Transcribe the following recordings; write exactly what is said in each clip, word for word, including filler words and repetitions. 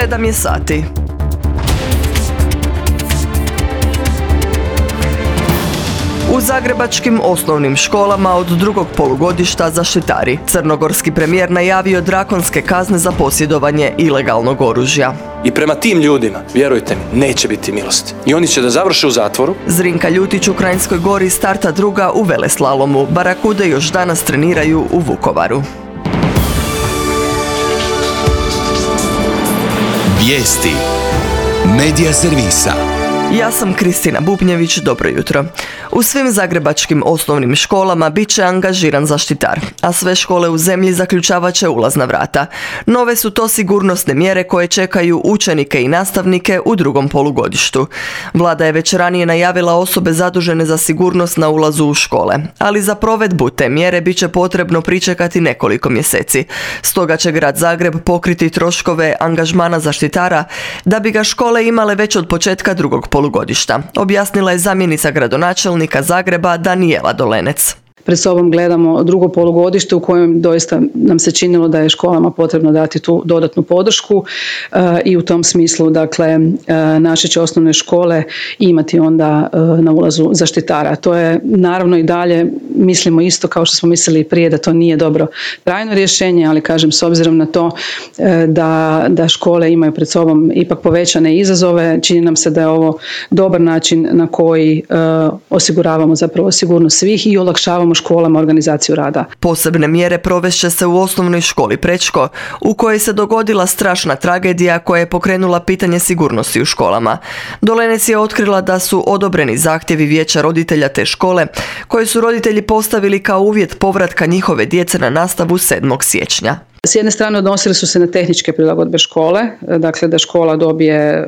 Sedam je sati. U zagrebačkim osnovnim školama od drugog polugodišta zaštitari. Crnogorski premijer najavio drakonske kazne za posjedovanje ilegalnog oružja. I prema tim ljudima, vjerujte mi, neće biti milosti. I oni će da završe u zatvoru. Zrinka Ljutić u Kranjskoj Gori starta druga u veleslalomu. Barakude još danas treniraju u Vukovaru. Vijesti Medija servisa. Ja sam Kristina Bubnjević, dobro jutro. U svim zagrebačkim osnovnim školama bit će angažiran zaštitar, a sve škole u zemlji zaključavat će ulazna vrata. Nove su to sigurnosne mjere koje čekaju učenike i nastavnike u drugom polugodištu. Vlada je već ranije najavila osobe zadužene za sigurnost na ulazu u škole, ali za provedbu te mjere bit će potrebno pričekati nekoliko mjeseci. Stoga će grad Zagreb pokriti troškove angažmana zaštitara da bi ga škole imale već od početka drugog polugodišta, objasnila je zamjenica gradonačelnika Zagreba Danijela Dolenec. Pred sobom gledamo drugo polugodište u kojem doista nam se činilo da je školama potrebno dati tu dodatnu podršku e, i u tom smislu, dakle, e, naše će osnovne škole imati onda e, na ulazu zaštitara. To je naravno i dalje, mislimo isto kao što smo mislili i prije, da to nije dobro trajno rješenje, ali kažem, s obzirom na to e, da, da škole imaju pred sobom ipak povećane izazove, čini nam se da je ovo dobar način na koji e, osiguravamo zapravo sigurnost svih i olakšavamo školama organizaciju rada. Posebne mjere provešće se u osnovnoj školi Prečko, u kojoj se dogodila strašna tragedija koja je pokrenula pitanje sigurnosti u školama. Dolenec je otkrila da su odobreni zahtjevi vijeća roditelja te škole, koje su roditelji postavili kao uvjet povratka njihove djece na nastavu sedmog siječnja. S jedne strane odnosili su se na tehničke prilagodbe škole, dakle da škola dobije e,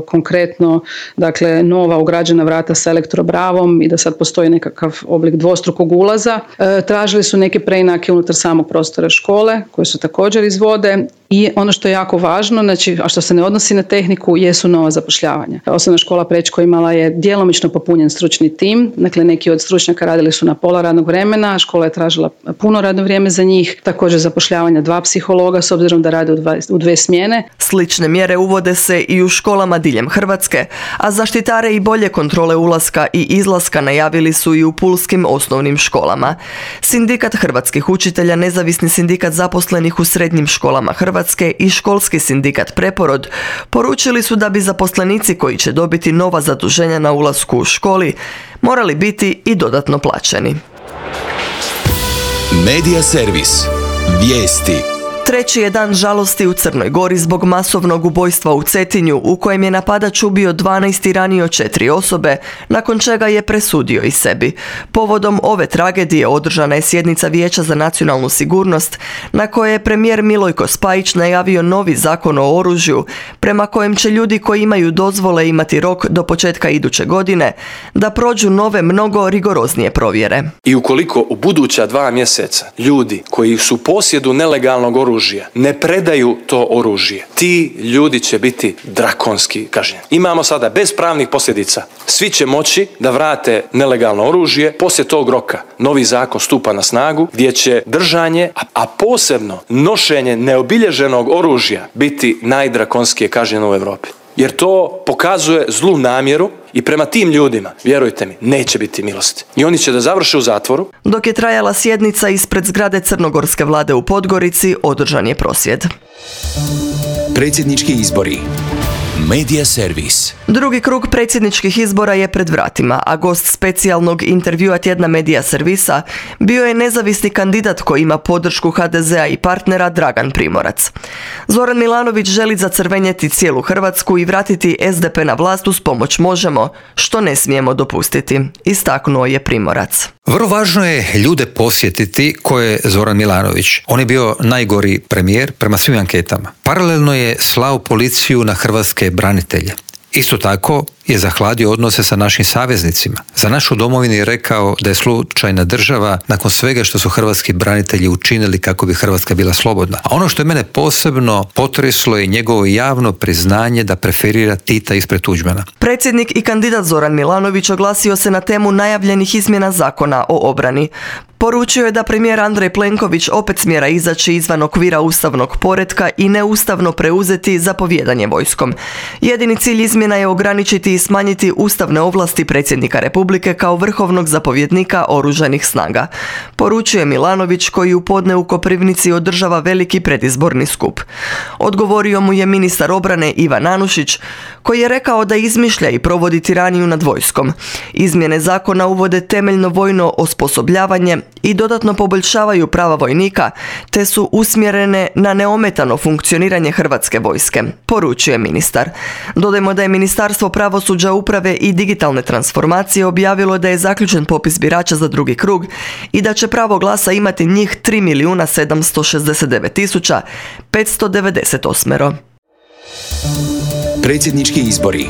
konkretno, dakle, nova ugrađena vrata sa elektrobravom i da sad postoji nekakav oblik dvostrukog ulaza. E, tražili su neke preinake unutar samog prostora škole koje su također izvode i ono što je jako važno, znači, a što se ne odnosi na tehniku, jesu nova zapošljavanja. Osnovna škola Prečko imala je djelomično popunjen stručni tim, dakle neki od stručnjaka radili su na pola radnog vremena, škola je tražila puno radno vrijeme za njih, također zapošljavanja dva psihologa s obzirom da rade u, dva, u dve smjene. Slične mjere uvode se i u školama diljem Hrvatske, a zaštitare i bolje kontrole ulaska i izlaska najavili su i u pulskim osnovnim školama. Sindikat hrvatskih učitelja, nezavisni sindikat zaposlenih u srednjim školama Hrvatske i školski sindikat Preporod poručili su da bi zaposlenici koji će dobiti nova zaduženja na ulasku u školi morali biti i dodatno plaćeni. Medija servis. Vijesti. Treći je dan žalosti u Crnoj Gori zbog masovnog ubojstva u Cetinju u kojem je napadač ubio dvanaest i ranio četiri osobe, nakon čega je presudio i sebi. Povodom ove tragedije održana je sjednica Vijeća za nacionalnu sigurnost na kojoj je premijer Milojko Spajić najavio novi zakon o oružju prema kojem će ljudi koji imaju dozvole imati rok do početka iduće godine da prođu nove mnogo rigoroznije provjere. I ukoliko u buduća dva mjeseca ljudi koji su u posjedu nelegalnog oružja ne predaju to oružje, ti ljudi će biti drakonski kažnjeni. Imamo sada bez pravnih posljedica. Svi će moći da vrate nelegalno oružje. Poslije tog roka novi zakon stupa na snagu gdje će držanje, a posebno nošenje neobilježenog oružja biti najdrakonskije kažnjeno u Europi. Jer to pokazuje zlu namjeru i prema tim ljudima, vjerujte mi, neće biti milosti. I oni će da završe u zatvoru. Dok je trajala sjednica ispred zgrade crnogorske vlade u Podgorici, održan je prosvjed. Predsjednički izbori. Medija servis. Drugi krug predsjedničkih izbora je pred vratima, a gost specijalnog intervjua tjedna Medija servisa bio je nezavisni kandidat koji ima podršku ha de zea i partnera Dragan Primorac. Zoran Milanović želi zacrvenjeti cijelu Hrvatsku i vratiti es de pe na vlast uz pomoć Možemo, što ne smijemo dopustiti, istaknuo je Primorac. Vrlo važno je ljude posjetiti ko je Zoran Milanović. On je bio najgori premijer prema svim anketama. Paralelno je slao policiju na hrvatske branitelje. Isto tako je zahladio odnose sa našim saveznicima. Za našu domovinu je rekao da je slučajna država nakon svega što su hrvatski branitelji učinili kako bi Hrvatska bila slobodna. A ono što je mene posebno potreslo je njegovo javno priznanje da preferira Tita ispred Tuđmana. Predsjednik i kandidat Zoran Milanović oglasio se na temu najavljenih izmjena zakona o obrani. Poručio je da premijer Andrej Plenković opet smjera izaći izvan okvira ustavnog poretka i neustavno preuzeti zapovijedanje vojskom. Jedini cilj izmjena je ograničiti i smanjiti ustavne ovlasti predsjednika Republike kao vrhovnog zapovjednika oružanih snaga. Poručuje Milanović, koji u podne u Koprivnici održava veliki predizborni skup. Odgovorio mu je ministar obrane Ivan Anušić, koji je rekao da izmišlja i provodi tiraniju nad vojskom. Izmjene zakona uvode temeljno vojno osposobljavanje i dodatno poboljšavaju prava vojnika, te su usmjerene na neometano funkcioniranje Hrvatske vojske, poručuje ministar. Dodajmo da je Ministarstvo pravosuđa, uprave i digitalne transformacije objavilo da je zaključen popis birača za drugi krug i da će pravo glasa imati njih tri milijuna sedamsto šezdeset devet tisuća petsto devedeset osam. Predsjednički izbori.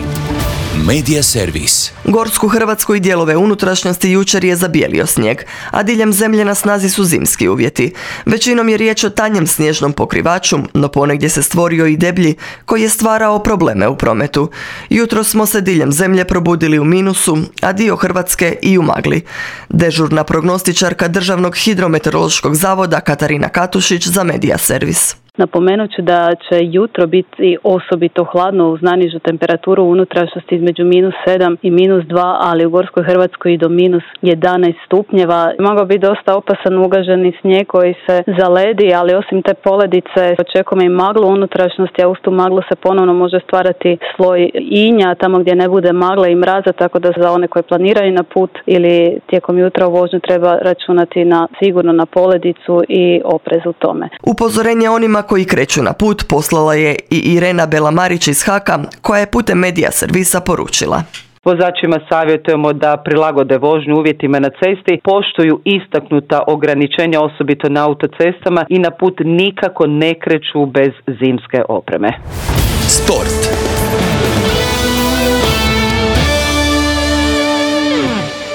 Medija servis. Gorsku Hrvatsku i dijelove unutrašnjosti jučer je zabijelio snijeg, a diljem zemlje na snazi su zimski uvjeti. Većinom je riječ o tanjem snježnom pokrivaču, no ponegdje se stvorio i deblji koji je stvarao probleme u prometu. Jutro smo se diljem zemlje probudili u minusu, a dio Hrvatske i u magli. Dežurna prognostičarka Državnog hidrometeorološkog zavoda Katarina Katušić za Medija servis. Napomenut ću da će jutro biti osobito hladno uz najnižu temperaturu u unutrašnjosti između minus sedam i minus dva, ali u Gorskoj Hrvatskoj i do minus jedanaest stupnjeva. Mogao biti dosta opasan ugaženi snijeg koji se zaledi, ali osim te poledice očekujemo i maglu u unutrašnjosti, a uz tu maglu se ponovno može stvarati sloj inja tamo gdje ne bude magle i mraza, tako da za one koji planiraju na put ili tijekom jutra u vožnju treba računati na sigurno na poledicu i oprez u tome. Upozorenje onima koji kreću na put poslala je i Irena Belamarić iz Haka, koja je putem Medija servisa poručila. Vozačima savjetujemo da prilagode vožnju uvjetima na cesti, poštuju istaknuta ograničenja osobito na autocestama i na put nikako ne kreću bez zimske opreme. Sport.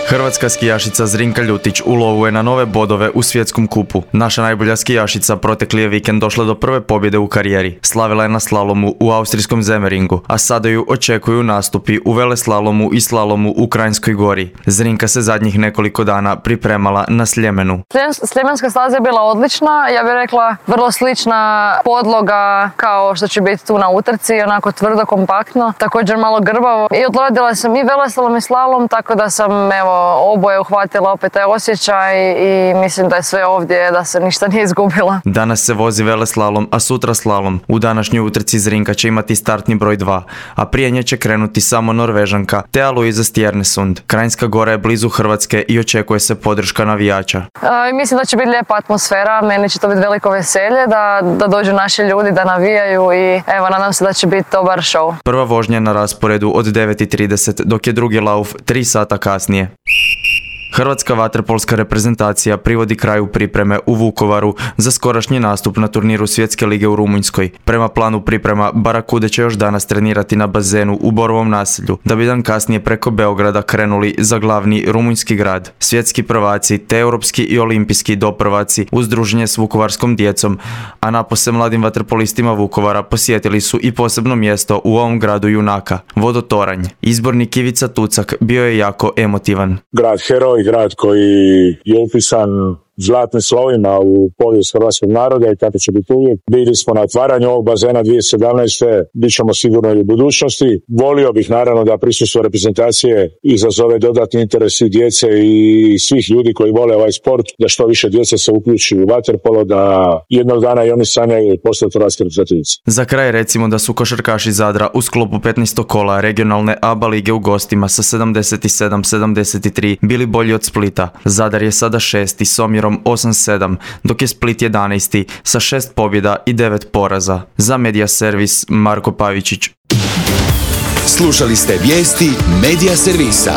Hrvatska skijašica Zrinka Ljutić u lovu je na nove bodove u svjetskom kupu. Naša najbolja skijašica protekli je vikend došla do prve pobjede u karijeri. Slavila je na slalomu u austrijskom Zemeringu, a sada ju očekuju nastupi u veleslalomu i slalomu u Kranjskoj Gori. Zrinka se zadnjih nekoliko dana pripremala na Sljemenu. Sljemenska staza je bila odlična, ja bih rekla vrlo slična podloga kao što će biti tu na utrci, onako tvrdo, kompaktno, također malo grbavo. I odradila sam i veleslalom i slalom, tako da sam evo oboje uhvatila opet taj osjećaj i mislim da je sve ovdje, da se ništa nije izgubila. Danas se vozi veleslalom, a sutra slalom. U današnjoj utrci Zrinka će imati startni broj dva, a prije nje će krenuti samo Norvežanka Thea Louise Stjernesund. Kranjska Gora je blizu Hrvatske i očekuje se podrška navijača. A, mislim da će biti lijepa atmosfera, meni će to biti veliko veselje da, da dođu naši ljudi, da navijaju i evo, nadam se da će biti dobar show. Prva vožnja na rasporedu od devet i trideset, dok je drugi lauf tri sata kasnije. Hrvatska vaterpolska reprezentacija privodi kraju pripreme u Vukovaru za skorašnji nastup na turniru Svjetske lige u Rumunjskoj. Prema planu priprema, Barakude će još danas trenirati na bazenu u Borovom naselju, da bi dan kasnije preko Beograda krenuli za glavni rumunjski grad. Svjetski prvaci te europski i olimpijski doprvaci uz druženje s vukovarskom djecom, a napose mladim vaterpolistima Vukovara posjetili su i posebno mjesto u ovom gradu junaka, Vodotoranj. Izbornik Ivica Tucak bio je jako emotivan. Grad heroj, grad koji je upisan zlatnim slovima u povijest hrvatskog naroda i tako će biti uvijek. Bili smo na otvaranju ovog bazena dvije tisuće sedamnaeste. Bit ćemo sigurno i u budućnosti. Volio bih naravno da prisustvo reprezentacije izazove dodatni interes i djece i svih ljudi koji vole ovaj sport, da što više djece se uključi u vaterpolo, da jednog dana i oni sanjaju postati hrvatski reprezentativci. Za kraj recimo da su košarkaši Zadra u sklopu petnaestog kola regionalne A B A lige u gostima sa sedamdeset sedam sedamdeset tri bili bolji od Splita. Zadar je sada šesti s omjerom osam sedam, dok je Split jedanaesti sa šest pobjeda i devet poraza. Za Medija servis Marko Pavičić. Slušali ste vijesti Medija servisa.